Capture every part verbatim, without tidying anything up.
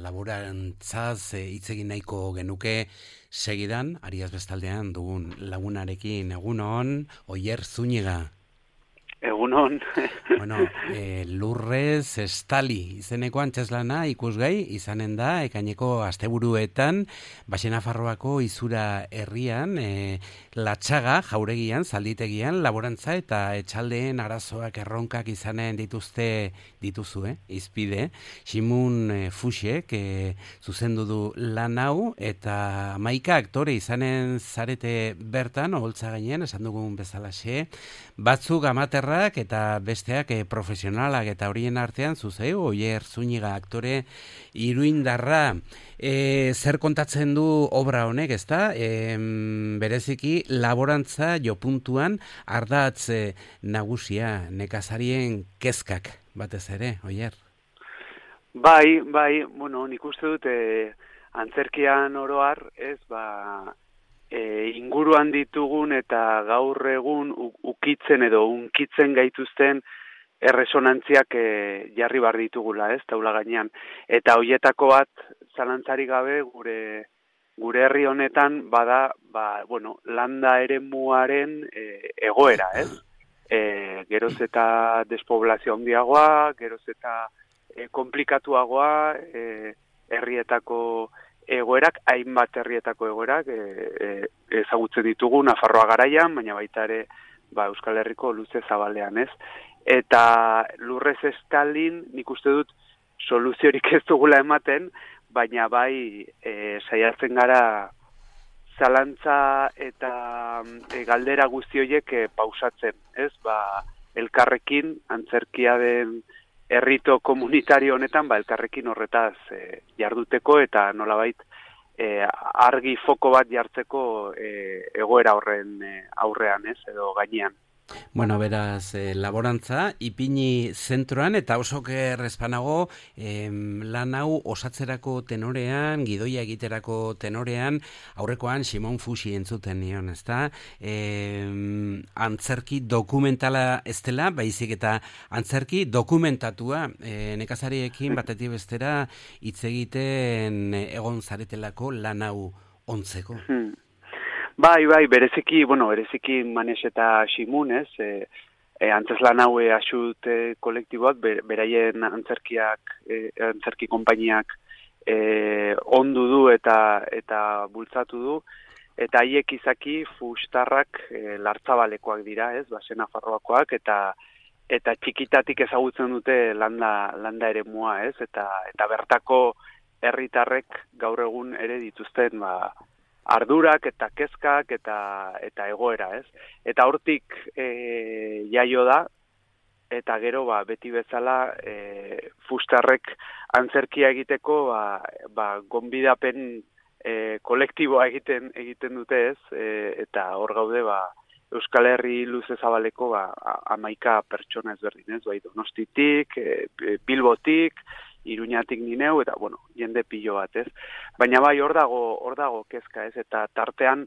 laborantzaz e, hitz egin nahiko genuke segidan, Ariaz bestaldean dugun lagunarekin. Egunon, Oier Zúñiga. Egunon. Bueno, e, lurrez estali izeneko antzeslana ikusgai izanen da ekaineko asteburuetan Baxe Nafarroako Izura herrian, e, Latxaga jauregian, zalditegian, laborantza eta etxaldeen arazoak erronkak izanen dituzte dituzu, eh? Izpide, Ximun e, Fuxek e, zuzendu du lan hau eta hamaika aktore izanen zarete bertan, oholtza gainean, esan dugun bezalaxe, batzuk amaterrak eta besteak e, profesionalak eta horien artean zuzeu, Oier Zúñiga aktore iruindarra. E, zer kontatzen du obra honek, ezta? E, bereziki laborantza jopuntuan ardatz e, nagusia, nekazarien kezkak batez ere, Oier? Bai, bai, bueno, nik uste dut e, antzerkian oroar, ez, ba, e, inguruan ditugun eta gaur egun ukitzen edo unkitzen gaituzten erresonantziak e, jarri bar ditugula, ez, taula gainean. Eta hoietako bat, zalantzari gabe, gure gure herri honetan bada, ba, bueno, landa eremuaren e, egoera, ez? E, geroz eta despoblazio handiagoa, geroz eta e, komplikatuagoa, e, herrietako egoerak, hainbat herrietako egoerak e, e, ezagutzen ditugu Nafarroa garaian, baina baita ere ba, Euskal Herriko luze zabalean, ez? Eta lurrez estalin, nik uste dut soluziorik ez dugula ematen, baina bai e, saiatzen gara zalantza eta e, galdera guzti horiek e, pausatzen, ez? Ba, elkarrekin, antzerkia den herrito komunitario honetan, ba, elkarrekin horretaz e, jarduteko eta nolabait e, argi foko bat jartzeko e, egoera horren e, aurrean, ez? Edo gainean. Bueno, beraz, eh, laborantza, ipini zentroan, eta oso errezpanago eh, lan hau osatzerako tenorean, gidoia egiterako tenorean, aurrekoan Simon Fuxi entzuten nion, ezta? Eh, antzerki dokumentala ez dela, baizik eta antzerki dokumentatua, eh, nekazariekin batetik bestera hitz egiten egon zaretelako lan hau ontzeko. Hmm. Bai, bai, bereziki, bueno, bereziki Manes eta Ximun, ez, e, e, antzeslan haue asut e, kolektiboak, ber, beraien antzerkiak, e, antzerki konpainiak e, ondu du eta eta bultzatu du, eta haiek izaki Fustarrak e, lartzabalekoak dira, ez, Baxe Nafarroakoak, eta eta txikitatik ezagutzen dute landa, landa eremua, ez, eta, eta bertako herritarrek gaur egun ere dituzten, ba, ardurak eta kezkak eta eta egoera, ez? Eta hortik e, jaio da, eta gero ba, beti bezala e, Fustarrek antzerkia egiteko ba, ba, gonbidapen e, kolektiboa egiten egiten dute, ez? E, eta hor gaude ba, Euskal Herri luze zabaleko ba, hamaika pertsona ezberdin, ez? Bai, Donostitik, e, Bilbotik, Iruñatik ni neu, eta, bueno, jende pilo bat, ez? Baina bai, hor dago, hor dago kezka, ez? Eta tartean,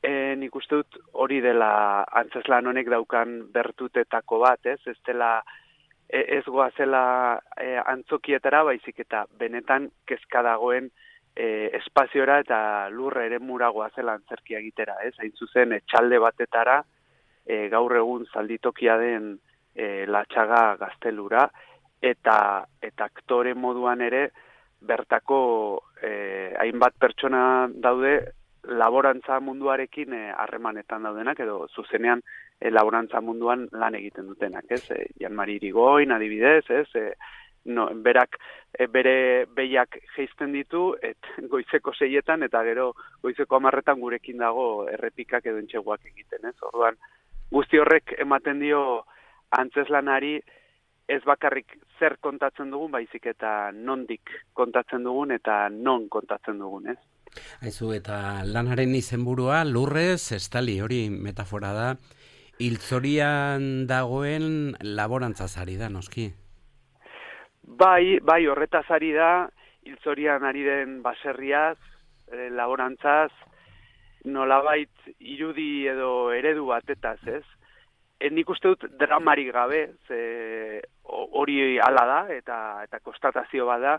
e, nik uste dut hori dela antzeslan honek daukan bertutetako bat, ez? Ez dela, e, ez goazela e, antzokietara, baizik eta benetan kezka dagoen e, espaziora eta lurre ere muragoazela antzerkia egitera, ez? Hain zuzen, etxalde batetara, e, gaur egun zalditokia den e, Latxaga gaztelura, eta eta aktore moduan ere bertako eh, hainbat pertsona daude laborantza munduarekin harremanetan eh, daudenak, edo zuzenean eh, laborantza munduan lan egiten dutenak, ez? Eh, Jan Mari Irigoyen adibidez, ez? Eh, no, berak eh, bere behiak jeizten ditu, et goizeko seietan eta gero goizeko hamarretan gurekin dago errepikak edo entxeguak egiten, ez? Orduan, guzti horrek ematen dio antzeslanari ez bakarrik zer kontatzen dugun, baizik eta nondik kontatzen dugun eta non kontatzen dugun, ez? Aizu, eta lanaren izenburua lurrez estali, hori metafora da, hiltzorian dagoen laborantzaz ari da, noski? Bai, bai, horretaz ari da, hiltzorian ari den baserriaz, eh, laborantzaz, nolabait irudi edo eredu batetaz, ez? Nik uste dut dramarik gabe, ze hori hala da, eta eta konstatazio bada,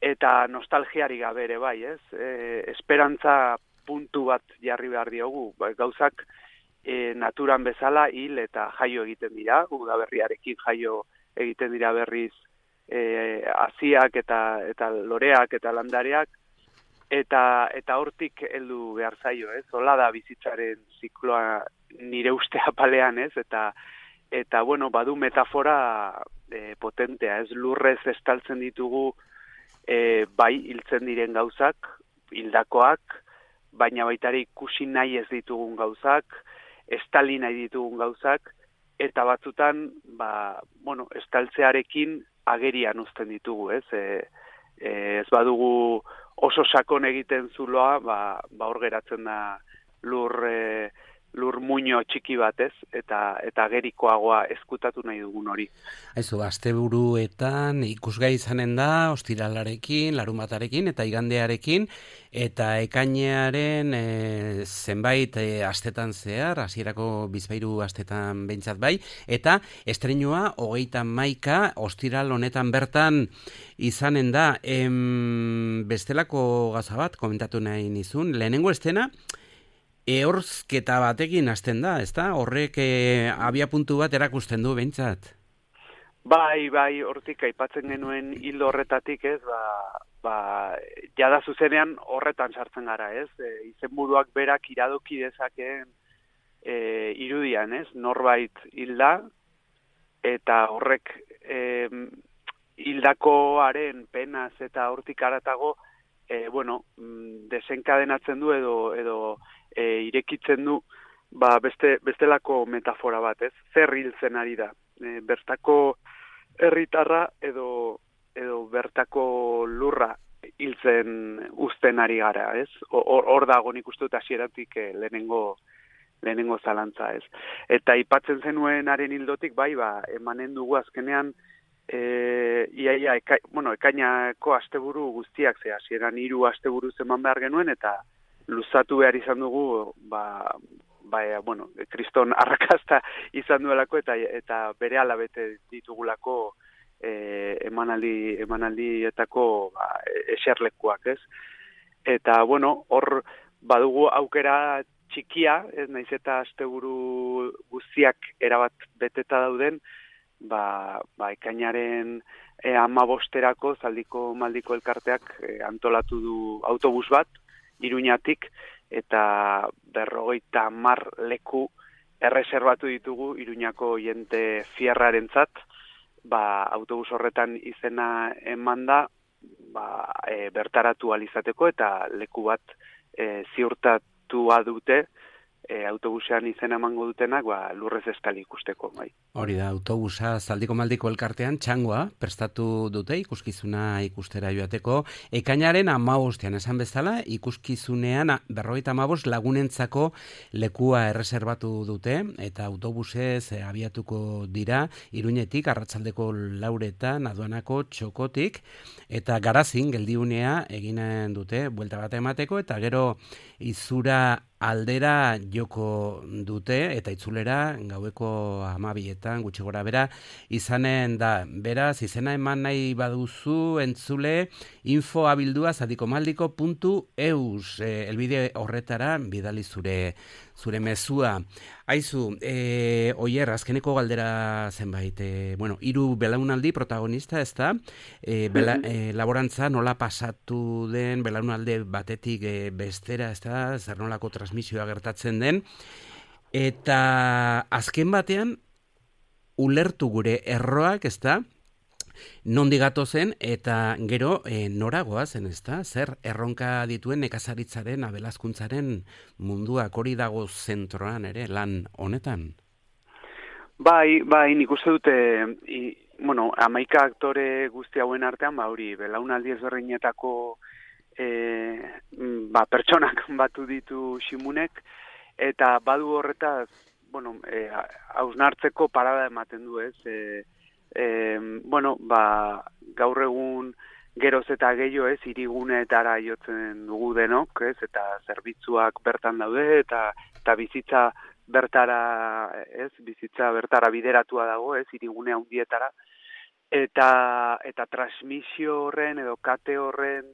eta nostalgiari gabe ere bai, ez? E, esperantza puntu bat jarri behar diogu, ba, gauzak e, naturan bezala hil eta jaio egiten dira, udaberriarekin jaio egiten dira berriz e, haziak eta eta loreak eta landareak, eta eta hortik heldu behar zaio, ez? Hola da bizitzaren zikloa nire uste apalean, ez? Eta eta bueno, badu metafora e, potentea, ez? Lurrez estaltzen ditugu e, bai hiltzen diren gauzak, hildakoak, baina baitare ikusi nahi ez ditugun gauzak, estali nahi ditugun gauzak, eta batzutan, ba, bueno, estaltzearekin agerian uzten ditugu, ez? E, e, ez badugu oso sakon egiten zuloa, ba, ba hor geratzen da lur, e, lur muño txiki batez, eta eta agerikoagoa ezkutatu nahi dugun hori. Aizu, asteburuetan ikusgai izanen da, ostiralarekin, larunbatarekin eta igandearekin, eta ekainearen e, zenbait e, astetan zehar, hasierako bizpahiru astetan behintzat bai, eta estreinua hogeita hamaika ostiral honetan bertan izanen da. Em, bestelako gauza bat komentatu nahi nizun, lehenengo estena, ehorzketa batekin hasten da, ezta? Horrek e, abia puntu bat erakusten du behintzat. Bai, bai, hortik aipatzen genuen hildo horretatik, ez, ba, ba, jada zuzenean horretan sartzen gara, ez? E, izenburuak berak iradoki dezakeen e, irudian, ez? Norbait hilda, eta horrek e, hildakoaren penaz eta hortik haratago, e, bueno, desenkadenatzen du edo, edo E, irekitzen du ba, beste, bestelako metafora bat, ez? Zer hiltzen ari da. E, bertako herritarra edo, edo bertako lurra hiltzen uzten ari gara, ez? Hor, hor dago nik uste dut hasieratik e, lehenengo, lehenengo zalantza, ez? Eta aipatzen zenuenaren hildotik, bai, ba, emanen dugu azkenean, e, iaia, eka, bueno, ekainako asteburu guztiak, ze hasieran hiru asteburu eman behar genuen, eta luzatu behar izan dugu, ba, ba, bueno, kriston arrakasta izan duelako, eta eta bere alabete ditugulako e, emanaldi, emanaldietako ba, eserlekuak, ez? Eta, bueno, hor badugu aukera txikia, ez naiz eta asteburu guztiak erabat beteta dauden, ba, ba ekainaren e, hamabosterako zaldiko maldiko elkarteak e, antolatu du autobus bat, Iruñatik, eta berrogeita hamar leku erreserbatu ditugu Iruñako jente fierrarentzat, ba, autobus horretan izena emanda, ba, e, bertaratu alizateko, eta leku bat e, ziurtatua dute, e, autobusean izena emango dutenak, ba, lurrez estali ikusteko, bai. Hori da, autobusa zaldiko maldiko elkartean txangoa prestatu dute ikuskizuna ikustera joateko. Ekainaren hamabostean esan bezala, ikuskizunean berrogeita hamabost lagunentzako lekua erreserbatu dute, eta autobusez e, abiatuko dira Iruñetik, arratsaldeko lauretan, aduanako txokotik, eta garazin geldiunea eginen dute, buelta bat emateko, eta gero izura aldera joko dute, eta itzulera gaueko hamabietan gutxi gora bera izanen da. Beraz, izena eman nahi baduzu entzule, info abildua zadikomaldiko puntu eus, e, elbide horretara bidali zure zure mezua. Aizu, e, oier, azkeneko galdera zenbait, e, bueno, hiru belaunaldi protagonista, ez da? E, bela, e, laborantza nola pasatu den belaunalde batetik e, bestera, ez da? Zer nolako transmisioa gertatzen den. Eta azken batean, ulertu gure erroak, ez da? Nondi gatozen, eta gero e, noragoa zen, ez da? Zer erronka dituen nekazaritzaren, abelazkuntzaren munduak hori dago zentroan ere, lan honetan? Bai, bai, nik uste dute, i, bueno, hamaika aktore guzti hauen artean, ba hori, belaunaldi ezberdinetako e, ba, pertsonak batu ditu Ximunek, eta badu horretaz, bueno, e, hausnartzeko parada ematen du, ez? E, e, bueno, ba, gaur egun geroz eta gehiago, ez, hiriguneetara jotzen dugu denok, ez, eta zerbitzuak bertan daude, eta, eta bizitza bertara, ez, bizitza bertara bideratua dago, ez, hirigune handietara, eta eta transmisio horren edo kate horren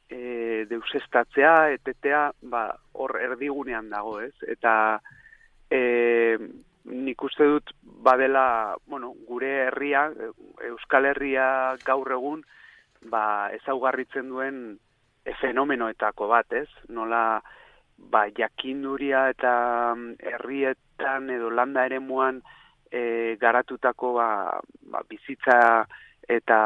e, deusestatzea, etetea, ba, hor erdigunean dago, ez? Eta e, nik uste dut badela, bueno, gure herria, Euskal Herria gaur egun, ba, ezaugarritzen duen e, fenomenoetako bat, ez? Nola, ba, jakinduria eta herrietan edo landa eremuan e, garatutako ba, ba, bizitza eta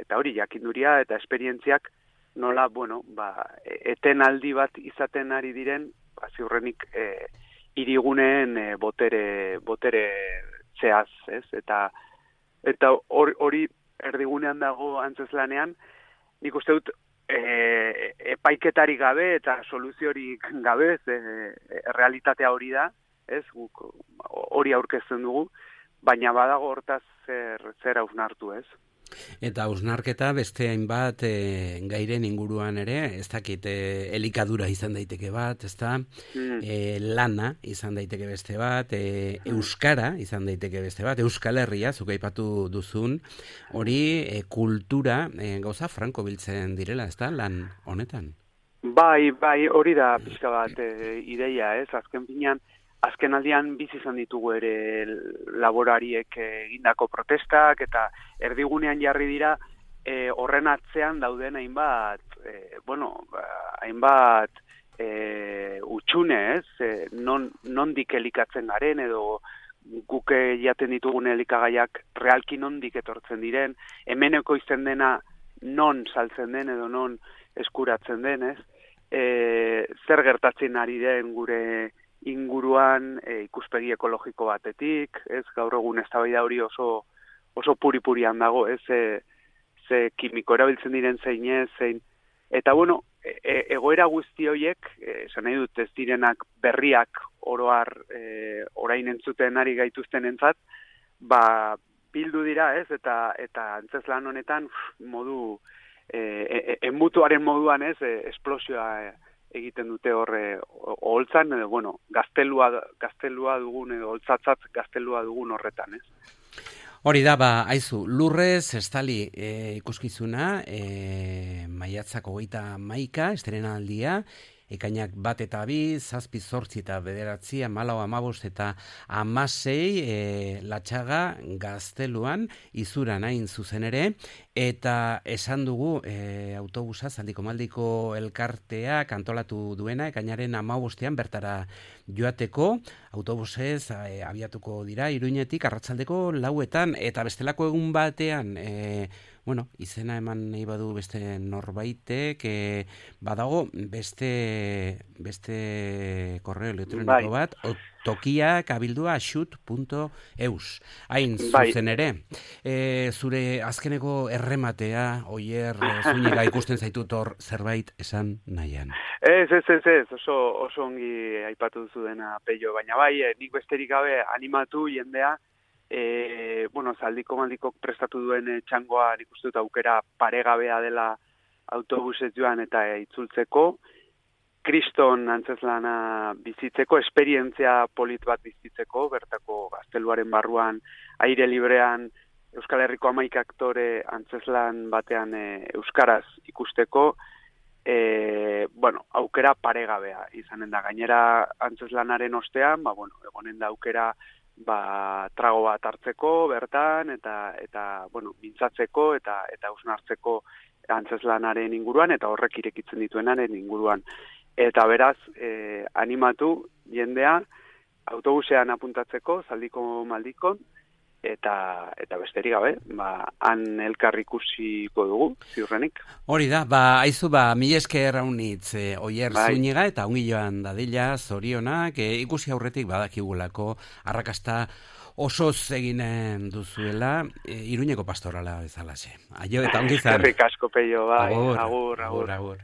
eta hori jakinduria eta esperientziak nola, bueno, ba, etenaldi bat izaten ari diren, ba, ziurrenik e, hiriguneen e, botere botere zehaz, ez? Eta eta hori erdigunean dago Antzeslanean, nik uste dut e, epaiketari gabe eta soluziorik gabe, e, e, realitatea hori da, ez? Guk hori aurkezten dugu, baina badago hortaz zer zer hausnartu, ez? Eta hausnarketa beste hainbat e, gairen inguruan ere, ez dakit, e, elikadura izan daiteke bat, ezta? Mm. E, lana izan daiteke beste bat, e, euskara izan daiteke beste bat, Euskal Herria, zuk aipatu duzun, hori e, kultura e, gauza franko biltzen direla, ezta, lan honetan? Bai, bai, hori da pixka bat e, ideia, ez? Azken finean, azken aldian bizi izan ditugu ere laborariek egindako protestak eta erdigunean jarri dira e, horren atzean dauden hainbat, e, bueno, hainbat e, utxune, ez? E, non, nondik elikatzen garen edo guk jaten ditugun elikagaiak realki nondik etortzen diren, hemeneko izten dena non saltzen den edo non eskuratzen den, ez? E, zer gertatzen ari den gure inguruan e, ikuspegi ekologiko batetik, ez, gaur egun eztabaida hori oso oso puri-purian dago, ez, ze, ze kimiko erabiltzen diren zein ez, zein, eta bueno, e, egoera guzti horiek, esan nahi dut ez direnak berriak oroar e, orain entzuten ari gaituzten entzat, ba, bildu dira, ez, eta eta antzeslan honetan modu, e, e, enbutuaren moduan, ez, e, esplosioa e, egiten dute horre oholtzan, edo, bueno, gaztelua, gaztelua dugun, edo holtzatzat gaztelua dugun horretan, ez? Hori da, ba, aizu, Lurrez estali e, ikuskizuna, e, maiatzak hogeita hamaika, estrenaldia, ekainak bat eta bi, zazpi zortzi eta bederatzi, hamalau hamabost eta hamasei e, Latxaga Gazteluan, izuran hain zuzen ere, eta esan dugu e, autobusa, Zaldiko Maldiko elkarteak antolatu duena, ekainaren hamabostean bertara joateko, autobusez e, abiatuko dira, Iruñetik, arratsaldeko lauetan, eta bestelako egun batean, e, bueno, izena eman nahi badu beste norbaitek, e, badago beste beste korreo elektroniko bat, tokia kabildua xut punto eus. Hain zuzen ere, e, zure azkeneko errematea, Oier Zúñiga ikusten zaitut hor zerbait esan nahian. Ez, ez, ez, ez, oso, oso ongi aipatu duzu dena, Peio, baina bai, nik besterik gabe animatu jendea, E, bueno, Zaldiko Maldikok prestatu duen e, txangoa nik uste dut aukera paregabea dela autobusez joan eta e, itzultzeko, kriston antzeslana bizitzeko, esperientzia polit bat bizitzeko, bertako gazteluaren barruan, aire librean, Euskal Herriko hamaika aktore antzeslan batean e, euskaraz ikusteko, e, bueno, aukera paregabea izanen da. Gainera antzeslanaren ostean, ba, bueno, egonen da aukera ba, trago bat hartzeko bertan eta eta bueno, mintzatzeko eta eta hausnartzeko antzeslanaren inguruan eta horrek irekitzen dituenaren inguruan. Eta beraz, eh, animatu jendea autobusean apuntatzeko Zaldiko Maldikon eta eta besterik gabe, ba han elkar ikusiko dugu ziurrenik. Hori da, ba aizu ba mil esker raunitz e, Oier bai. Zúñiga eta ongi joan dadila zorionak, e, ikusi aurretik badakigulako arrakasta osoz eginen duzuela, e, Iruñeko pastorala bezalaxe. Aio eta ongi izan. Eskerrik asko, Peio, bai. Agur, agur, agur. agur.